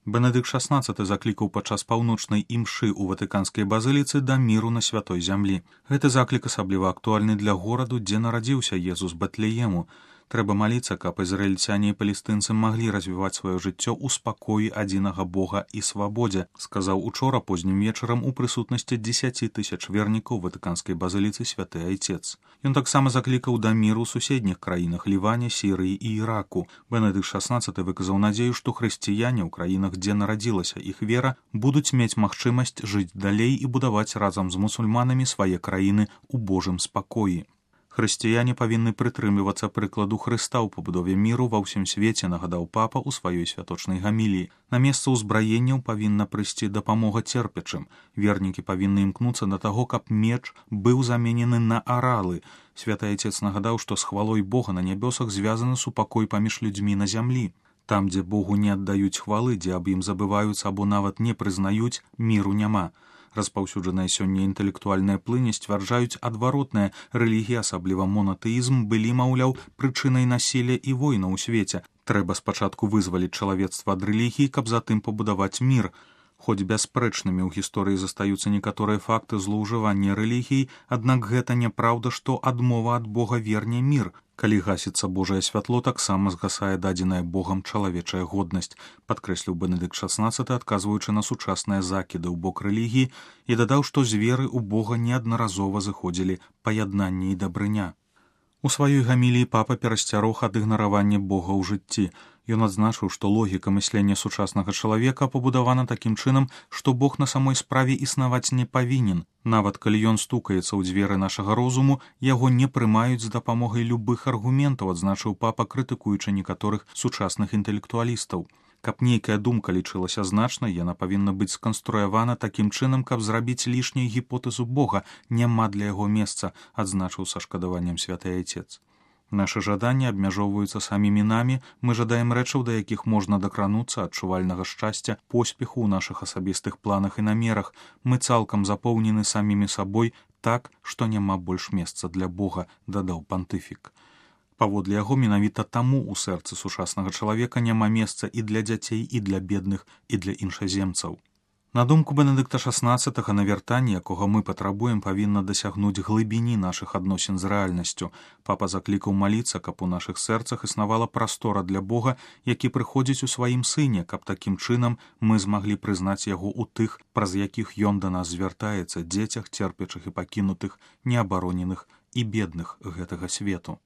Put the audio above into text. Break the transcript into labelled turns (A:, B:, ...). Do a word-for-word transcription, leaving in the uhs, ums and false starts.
A: Бенедыкт шаснаццаты заклікаў падчас паўночнай імшы ў ватыканскай базыліцы да міру на святой зямлі. Гэты заклік асабліва актуальны для гораду, дзе нарадзіўся Езус Бэтлеему. Трэба маліцца, каб ізраільцяне і палестынцы маглі развіваць сваё жыццё ў спакоі адзінага Бога і свабодзе, сказаў учора познім вечарам у прысутнасці дзесяці тысяч вернікаў ватыканскай базыліцы святы айцец. Ён таксама заклікаў да міру ў суседніх краінах Ліване, Сірыі і Іраку. Бенедыкт шаснаццаты выказаў надзею, што хрысціяне ў краінах, дзе нарадзілася іх вера, будуць мець магчымасць жыць далей і будаваць разам з мусульманамі свае краіны ў Божым спакоі. Хрысціяне павінны прытрымлівацца прыкладу Хрыста ў пабудове міру ва ўсім свеце, нагадаў папа ў сваёй святочнай гаміліі. На месца ўзбраенняў павінна прыйсці дапамога церпячым. Вернікі павінны імкнуцца да таго, каб меч быў заменены на аралы. Святы айцец нагадаў, што з хвалой Бога на нябёсах звязаны супакой паміж людзьмі на зямлі. Там, дзе Богу не аддаюць хвалы, дзе аб ім забываюцца або нават не прызнаюць, міру няма. Распаўсюджаная сёння інтэлектуальная плынь сцвярджаюць адваротнае. Рэлігія, асабліва монатэізм, былі, маўляў, прычынай насілля і война ў свеце. Трэба спачатку вызваліць чалавецтва ад рэлігіі, каб затым пабудаваць мір. Хоць бясспрэчнымі ў гісторыі застаюцца некаторыя факты злоўжывання рэлігіяй, аднак гэта няпраўда, што адмова ад Бога верне мір. Калі гасіцца Божае святло, таксама згасае дадзеная Богам чалавечая годнасць, падкрэсліў Бенедыкт шаснаццаты, адказваючы на сучасныя закіды ў бок рэлігіі, і дадаў, што з веры ў Бога неаднаразова зыходзілі паяднанне і дабрыня. У сваёй гаміліі папа перасцярог ад ігнаравання Бога ў жыцці. Ён адзначыў, што логіка мыслення сучаснага чалавека пабудавана такім чынам, што Бог на самой справе існаваць не павінен. Нават калі ён стукаецца ў дзверы нашага розуму, яго не прымаюць з дапамогай любых аргументаў, адзначыў папа, крытыкуючы некаторых сучасных інтэлектуалістаў. Каб нейкая думка лічылася значнай, яна павінна быць сканструявана такім чынам, каб зрабіць лішняй гіпотэзу Бога, няма для яго месца, адзначыў са шкадаваннем святы айцец. Нашы жаданні абмяжоўваюцца самімі намі, мы жадаем рэчаў, да якіх можна дакрануцца, адчувальнага шчасця, поспеху ў нашых асабістых планах і намерах. Мы цалкам запоўнены самімі сабой так, што няма больш месца для Бога, дадаў пантыфік. Паводле яго, менавіта таму ў сэрцы сучаснага чалавека няма месца і для дзяцей, і для бедных, і для іншаземцаў. На думку Бенедыкта шаснаццатага, навяртанне, якога мы патрабуем, павінна дасягнуць глыбіні нашых адносін з рэальнасцю. Папа заклікаў маліцца, каб у нашых сэрцах існавала прастора для Бога, які прыходзіць у сваім сыне, каб такім чынам мы змаглі прызнаць яго ў тых, праз якіх ён да нас звяртаецца, дзецях, церпячых і пакінутых, неабароненых і бедных гэтага свету.